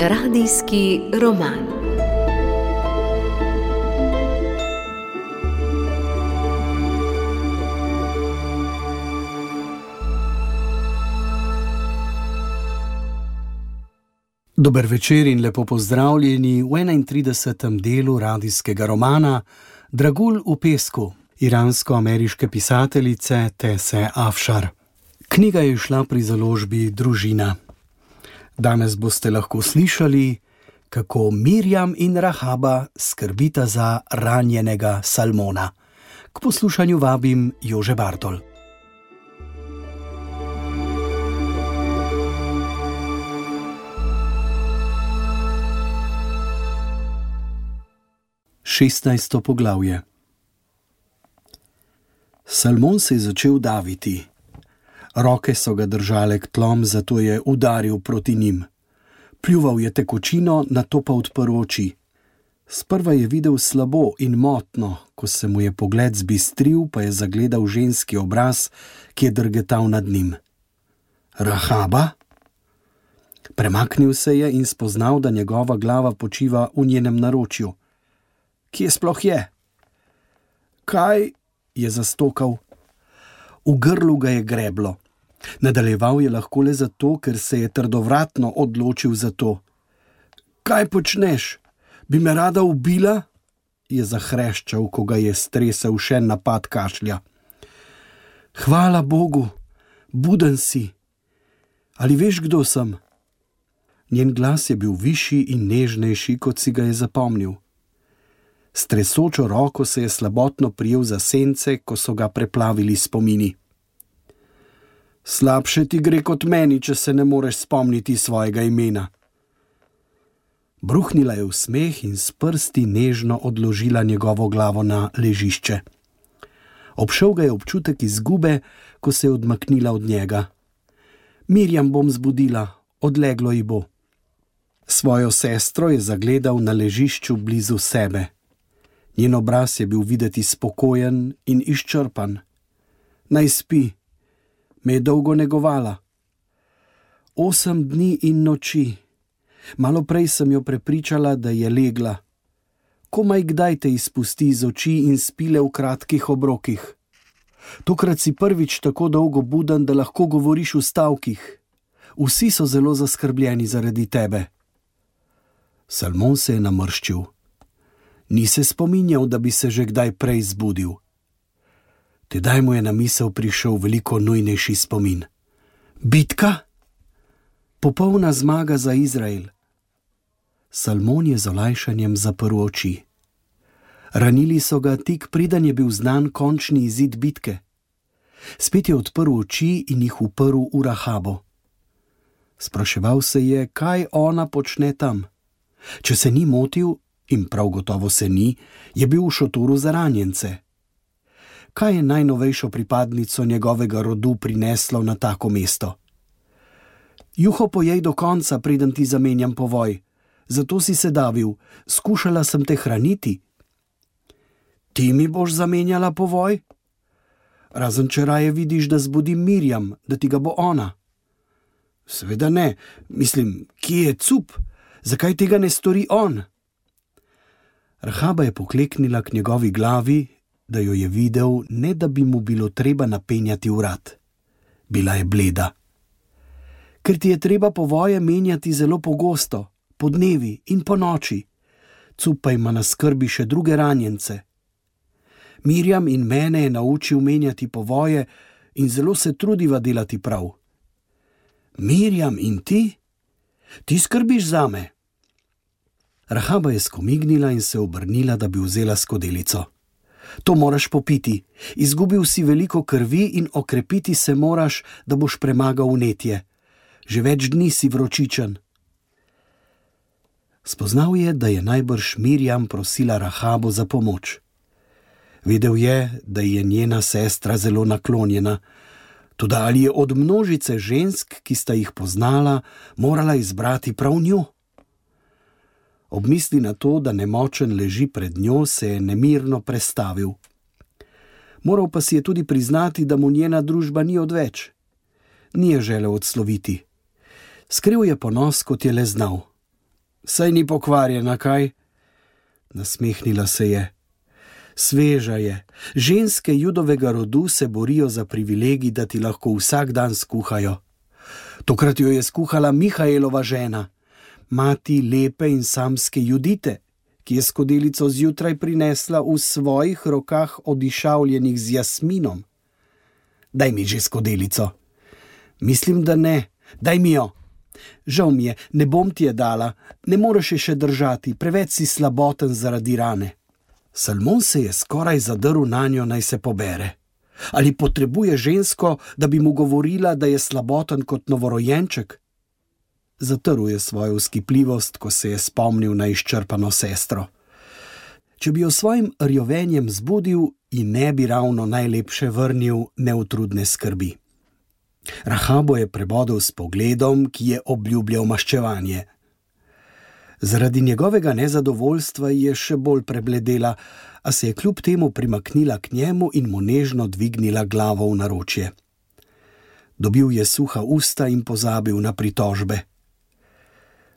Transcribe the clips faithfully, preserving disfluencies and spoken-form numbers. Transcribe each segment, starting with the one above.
Radijski roman. Dober večer in lepo pozdravljeni v enaintridesetem delu radijskega romana Dragulj v pesku iransko-ameriške pisateljice Tese Afšar. Knjiga je izšla pri založbi Družina. Danes boste lahko slišali, kako Mirjam in Rahaba skrbita za ranjenega Salmona. K poslušanju vabim Jože Bartol. šestnajsto poglavje. Salmon se je začel daviti. Roke so ga držale k tlom, zato je udaril proti njim. Pljuval je tekočino, nato pa odprl oči. Sprva je videl slabo in motno, ko se mu je pogled zbistril, pa je zagledal ženski obraz, ki je drgetal nad njim. Rahaba? Premaknil se je in spoznal, da njegova glava počiva v njenem naročju. Kje sploh je? Kaj? Je zastokal. V grlu ga je greblo. Nadaljeval je lahko le zato, ker se je trdovratno odločil za to. Kaj počneš? Bi me rada ubila? Je zahreščal, ko ga je stresel še napad kašlja. Hvala Bogu, buden si. Ali veš, kdo sem? Njen glas je bil višji in nežnejši, kot si ga je zapomnil. S tresočo roko se je slabotno prijel za sence, ko so ga preplavili spomini. Slabše ti gre kot meni, če se ne moreš spomniti svojega imena. Bruhnila je v smeh in s prsti nežno odložila njegovo glavo na ležišče. Obšel ga je občutek izgube, ko se je odmaknila od njega. Mirjam bom zbudila, odleglo ji bo. Svojo sestro je zagledal na ležišču blizu sebe. Njen obraz je bil videti spokojen in izčrpan. Naj spi, me je dolgo negovala. Osem dni in noči. Malo prej sem jo prepričala, da je legla. Komaj kdaj te izpusti iz oči in spile v kratkih obrokih. Tokrat si prvič tako dolgo buden, da lahko govoriš v stavkih. Vsi so zelo zaskrbljeni zaradi tebe. Salmon se je namrščil. Ni se spominjal, da bi se že kdaj prej zbudil. Tedaj mu je na misel prišel veliko nujnejši spomin. Bitka? Popolna zmaga za Izrael. Salmon je z olajšanjem zaprl oči. Ranili so ga tik preden je bil znan končni izid bitke. Spet je odprl oči in jih uprl v Rahabo. Spraševal se je, kaj ona počne tam. Če se ni motil, in prav gotovo se ni, je bil v šotoru za ranjence. Kaj je najnovejšo pripadnico njegovega rodu prineslo na tako mesto? Juho pojej do konca, preden ti zamenjam povoj. Zato si se davil, skušala sem te hraniti. Ti mi boš zamenjala povoj? Razen če raje vidiš, da zbudim Mirjam, da ti ga bo ona. Seveda ne, mislim, kje je cup? Zakaj tega ne stori on? Rahaba je pokleknila k njegovi glavi, da jo je videl, ne da bi mu bilo treba napenjati vrat. Bila je bleda. Ker ti je treba povoje menjati zelo pogosto, po dnevi in po noči. Cup pa ima na skrbi še druge ranjence. Mirjam in mene je naučil menjati povoje in zelo se trudiva delati prav. Mirjam in ti? Ti skrbiš zame? Rahaba je skomignila in se obrnila, da bi vzela skodelico. To moraš popiti. Izgubil si veliko krvi in okrepiti se moraš, da boš premagal vnetje. Že več dni si vročičen. Spoznal je, da je najbrž Mirjam prosila Rahabo za pomoč. Vedel je, da je njena sestra zelo naklonjena, toda ali je od množice žensk, ki sta jih poznala, morala izbrati prav njo? Ob misli na to, da nemočen leži pred njo, se je nemirno prestavil. Moral pa si je tudi priznati, da mu njena družba ni odveč. Ni je želel odsloviti. Skril je ponos, kot je le znal. Saj ni pokvarjena, kaj? Nasmehnila se je. Sveža je. Ženske judovega rodu se borijo za privilegij, da ti lahko vsak dan skuhajo. Tokrat jo je skuhala Mihaelova žena, mati lepe in samske Judite, ki je skodelico zjutraj prinesla v svojih rokah odišavljenih z jasminom. Daj mi že skodelico. Mislim, da ne. Daj mi jo. Žal mi je, ne bom ti je dala, ne moreš je še držati, preveč si slaboten zaradi rane. Salmon se je skoraj zadrl nanjo, naj se pobere. Ali potrebuje žensko, da bi mu govorila, da je slaboten kot novorojenček? Zatrl je svojo vzkipljivost, ko se je spomnil na izčrpano sestro. Če bi jo svojim rjovenjem zbudil, ji ne bi ravno najlepše vrnil neutrudne skrbi. Rahabo je prebodel s pogledom, ki je obljubljal maščevanje. Zaradi njegovega nezadovoljstva je še bolj prebledela, a se je kljub temu primaknila k njemu in mu nežno dvignila glavo v naročje. Dobil je suha usta in pozabil na pritožbe.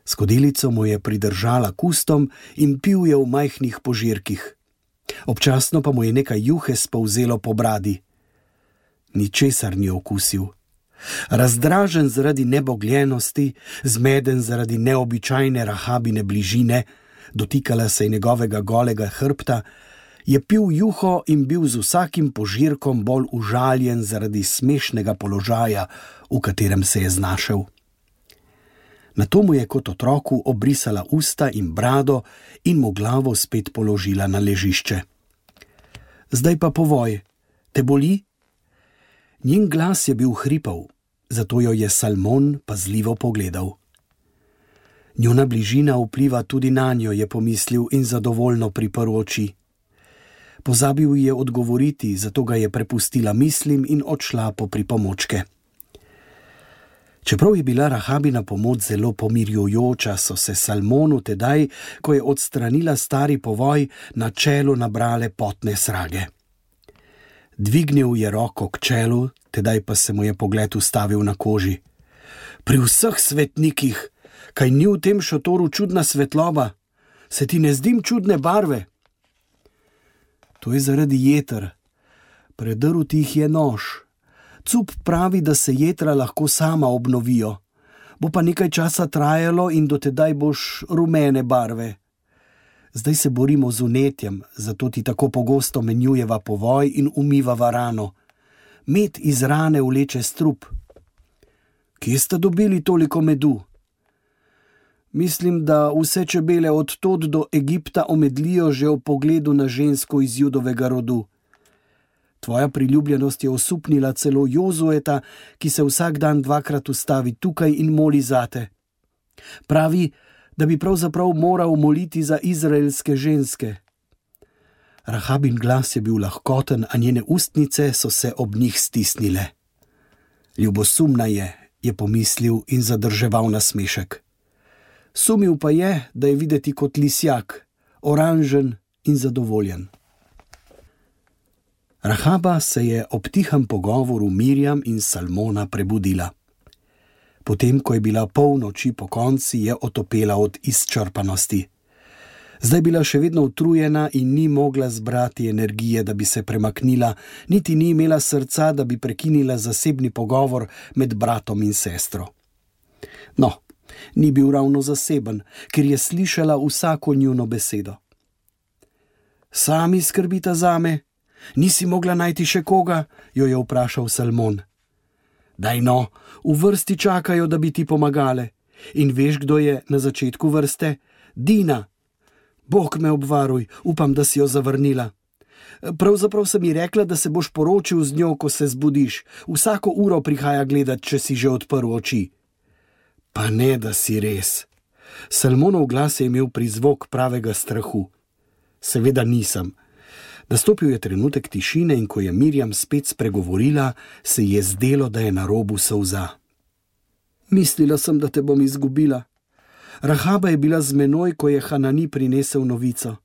Skodelico mu je pridržala k ustom in pil je v majhnih požirkih. Občasno pa mu je nekaj juhe spolzelo po bradi. Ničesar ni okusil. Razdražen zaradi nebogljenosti, zmeden zaradi neobičajne Rahabine bližine, dotikala se je njegovega golega hrbta, je pil juho in bil z vsakim požirkom bolj užaljen zaradi smešnega položaja, v katerem se je znašel. Nato mu je kot otroku obrisala usta in brado in mu glavo spet položila na ležišče. Zdaj pa povoj, te boli? Njen glas je bil hripav, zato jo je Salmon pazljivo pogledal. Njuna bližina vpliva tudi nanjo, je pomislil in zadovoljno priprl oči. Pozabil je odgovoriti, zato ga je prepustila mislim in odšla po pripomočke. Čeprav je bila Rahabina pomoč zelo pomirjujoča, so se Salmonu tedaj, ko je odstranila stari povoj, na čelu nabrale potne srage. Dvignil je roko k čelu, tedaj pa se mu je pogled ustavil na koži. Pri vseh svetnikih, kaj ni v tem šotoru čudna svetloba? Se ti ne zdim čudne barve? To je zaradi jeter. Predrl ti jih je nož. Cup pravi, da se jetra lahko sama obnovijo. Bo pa nekaj časa trajalo in do tedaj boš rumene barve. Zdaj se borimo z vnetjem, zato ti tako pogosto menjujeva povoj in umivava rano. Med iz rane vleče strup. Kje sta dobili toliko medu? Mislim, da vse čebele od tod do Egipta omedlijo že v pogledu na žensko iz judovega rodu. Tvoja priljubljenost je osupnila celo Jozueta, ki se vsak dan dvakrat ustavi tukaj in moli zate. Pravi, da bi pravzaprav moral moliti za izraelske ženske. Rahabin glas je bil lahkoten, a njene ustnice so se ob njih stisnile. Ljubosumna je, je pomislil in zadrževal nasmešek. Sumil pa je, da je videti kot lisjak, oranžen in zadovoljen. Rahaba se je ob tihem pogovoru Mirjam in Salmona prebudila. Potem, ko je bila pol noči pokonci, je otopela od izčrpanosti. Zdaj bila še vedno utrujena in ni mogla zbrati energije, da bi se premaknila, niti ni imela srca, da bi prekinila zasebni pogovor med bratom in sestro. No, ni bil ravno zaseben, ker je slišala vsako njuno besedo. Sami skrbita zame? Nisi mogla najti še koga? Jo je vprašal Salmon. Daj no, v vrsti čakajo, da bi ti pomagale. In veš, kdo je na začetku vrste? Dina. Bog me obvaruj, upam, da si jo zavrnila. Pravzaprav sem ji rekla, da se boš poročil z njo, ko se zbudiš. Vsako uro prihaja gledat, če si že odprl oči. Pa ne, da si res. Salmonov glas je imel prizvok pravega strahu. Seveda nisem. Nastopil je trenutek tišine in ko je Mirjam spet spregovorila, se je zdelo, da je na robu solza. Mislila sem, da te bom izgubila. Rahaba je bila z menoj, ko je Hanani prinesel novico.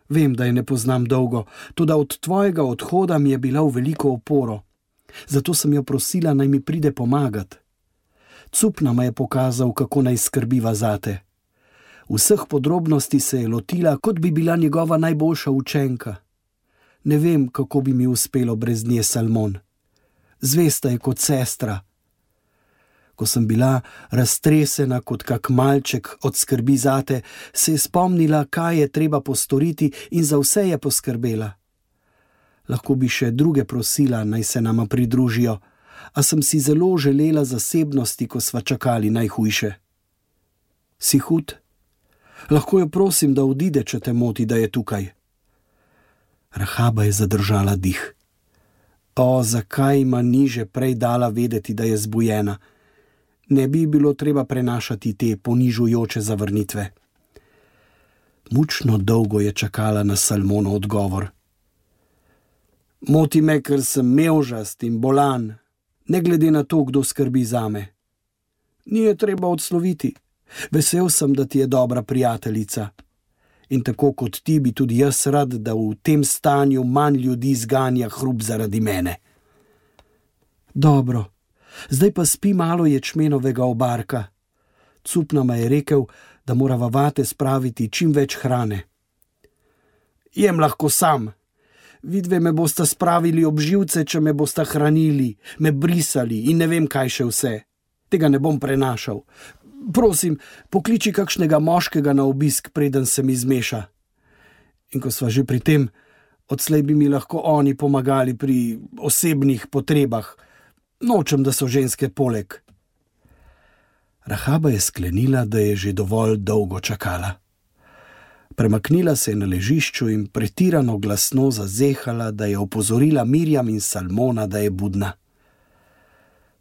Vem, da je ne poznam dolgo, toda od tvojega odhoda mi je bila v veliko oporo. Zato sem jo prosila, naj mi pride pomagat. Cup nama je pokazal, kako naj skrbiva zate. Vseh podrobnosti se je lotila, kot bi bila njegova najboljša učenka. Ne vem, kako bi mi uspelo brez nje, Salmon. Zvesta je kot sestra. Ko sem bila raztresena kot kak malček od skrbi zate, se je spomnila, kaj je treba postoriti, in za vse je poskrbela. Lahko bi še druge prosila, naj se nama pridružijo, a sem si zelo želela zasebnosti, ko sva čakali najhujše. Si hud? Lahko jo prosim, da odide, če te moti, da je tukaj. Rahaba je zadržala dih. O, zakaj ima ni že prej dala vedeti, da je zbujena? Ne bi bilo treba prenašati te ponižujoče zavrnitve. Mučno dolgo je čakala na Salmonov odgovor. Moti me, ker sem mevžast in bolan, ne glede na to, kdo skrbi zame. Ni je treba odsloviti. Vesel sem, da ti je dobra prijateljica. In tako kot ti bi tudi jaz rad, da v tem stanju manj ljudi zganja hrup zaradi mene. Dobro, zdaj pa spi malo ječmenovega obarka. Cup nama je rekel, da morava vate spraviti čim več hrane. Jem lahko sam. Vidve me bosta spravili ob živce, če me bosta hranili, me brisali in ne vem kaj še vse. Tega ne bom prenašal. Prosim, pokliči kakšnega moškega na obisk, preden se mi zmeša. In ko sva že pri tem, odslej bi mi lahko oni pomagali pri osebnih potrebah. Nočem, da so ženske poleg. Rahaba je sklenila, da je že dovolj dolgo čakala. Premaknila se je na ležišču in pretirano glasno zazehala, da je opozorila Mirjam in Salmona, da je budna.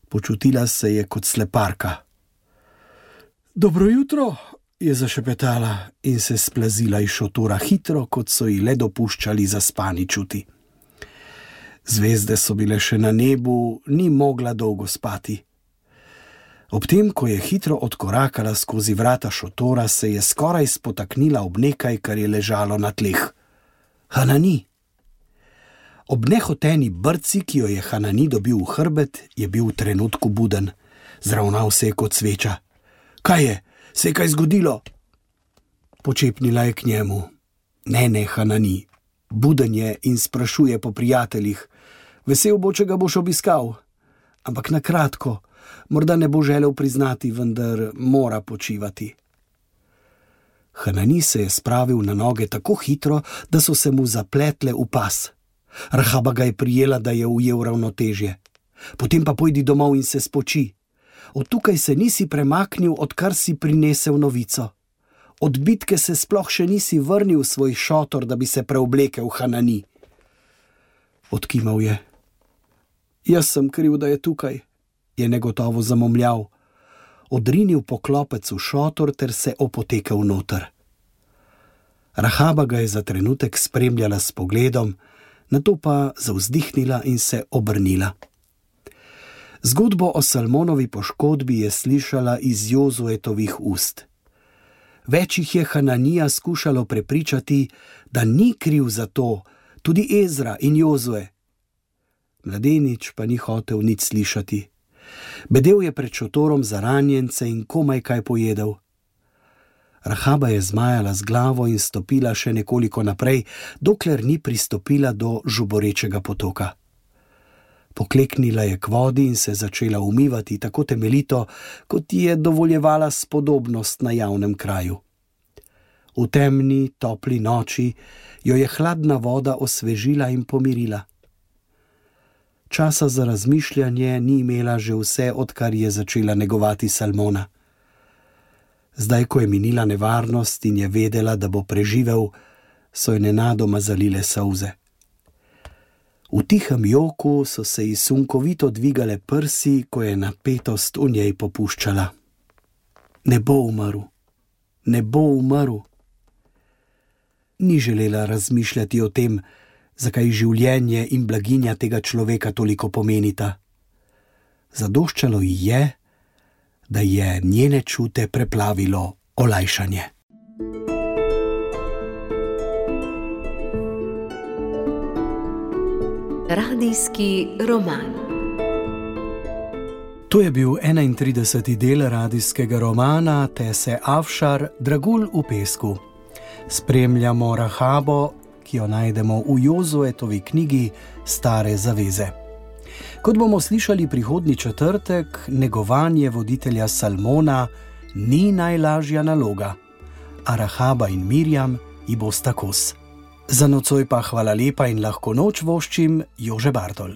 Počutila se je kot sleparka. Dobro jutro, je zašepetala in se splazila iz šotora hitro, kot so ji le dopuščali zaspani čuti. Zvezde so bile še na nebu, ni mogla dolgo spati. Ob tem, ko je hitro odkorakala skozi vrata šotora, se je skoraj spotaknila ob nekaj, kar je ležalo na tleh. Hanani. Ob nehoteni brci, ki jo je Hanani dobil v hrbet, je bil v trenutku buden. Zravnal se je kot sveča. Kaj je? Se je kaj zgodilo? Počepnila je k njemu. Ne, ne, Hanani. Buden je in sprašuje po prijateljih. Vesel bo, če ga boš obiskal. Ampak na kratko, morda ne bo želel priznati, vendar mora počivati. Hanani se je spravil na noge tako hitro, da so se mu zapletle v pas. Rahaba ga je prijela, da je ujel ravnotežje. Potem pa pojdi domov in se spoči. Od tukaj se nisi premaknil, odkar si prinesel novico. Od bitke se sploh še nisi vrnil v svoj šotor, da bi se preoblekel, Hanani. Odkimal je. Jaz sem kriv, da je tukaj, je negotovo zamomljal. Odrinil poklopec v šotor ter se opotekel noter. Rahaba ga je za trenutek spremljala s pogledom, nato pa zavzdihnila in se obrnila. Zgodbo o Salmonovi poškodbi je slišala iz Jozuetovih ust. Več jih je Hananija skušalo prepričati, da ni kriv za to, tudi Ezra in Jozue. Mladenič pa ni hotel nič slišati. Bedel je pred šotorom za ranjence in komaj kaj pojedel. Rahaba je zmajala z glavo in stopila še nekoliko naprej, dokler ni pristopila do žuborečega potoka. Pokleknila je k vodi in se začela umivati tako temeljito, kot ji je dovoljevala spodobnost na javnem kraju. V temni, topli noči jo je hladna voda osvežila in pomirila. Časa za razmišljanje ni imela že vse, odkar je začela negovati Salmona. Zdaj, ko je minila nevarnost in je vedela, da bo preživel, so jo nenadoma zalile solze. V tihem joku so se ji sunkovito dvigale prsi, ko je napetost v njej popuščala. Ne bo umrl, ne bo umrl. Ni želela razmišljati o tem, zakaj življenje in blaginja tega človeka toliko pomenita. Zadoščalo ji je, da je njene čute preplavilo olajšanje. Radijski roman. To je bil enaintrideseti del radijskega romana Tese Afšar Dragulj v pesku. Spremljamo Rahabo, ki jo najdemo v Jozuetovi knjigi Stare zaveze. Kot bomo slišali prihodnji četrtek, negovanje voditelja Salmona ni najlažja naloga, a Rahaba in Mirjam ji bosta kos. Za nocoj pa hvala lepa in lahko noč voščim Jože Bartol.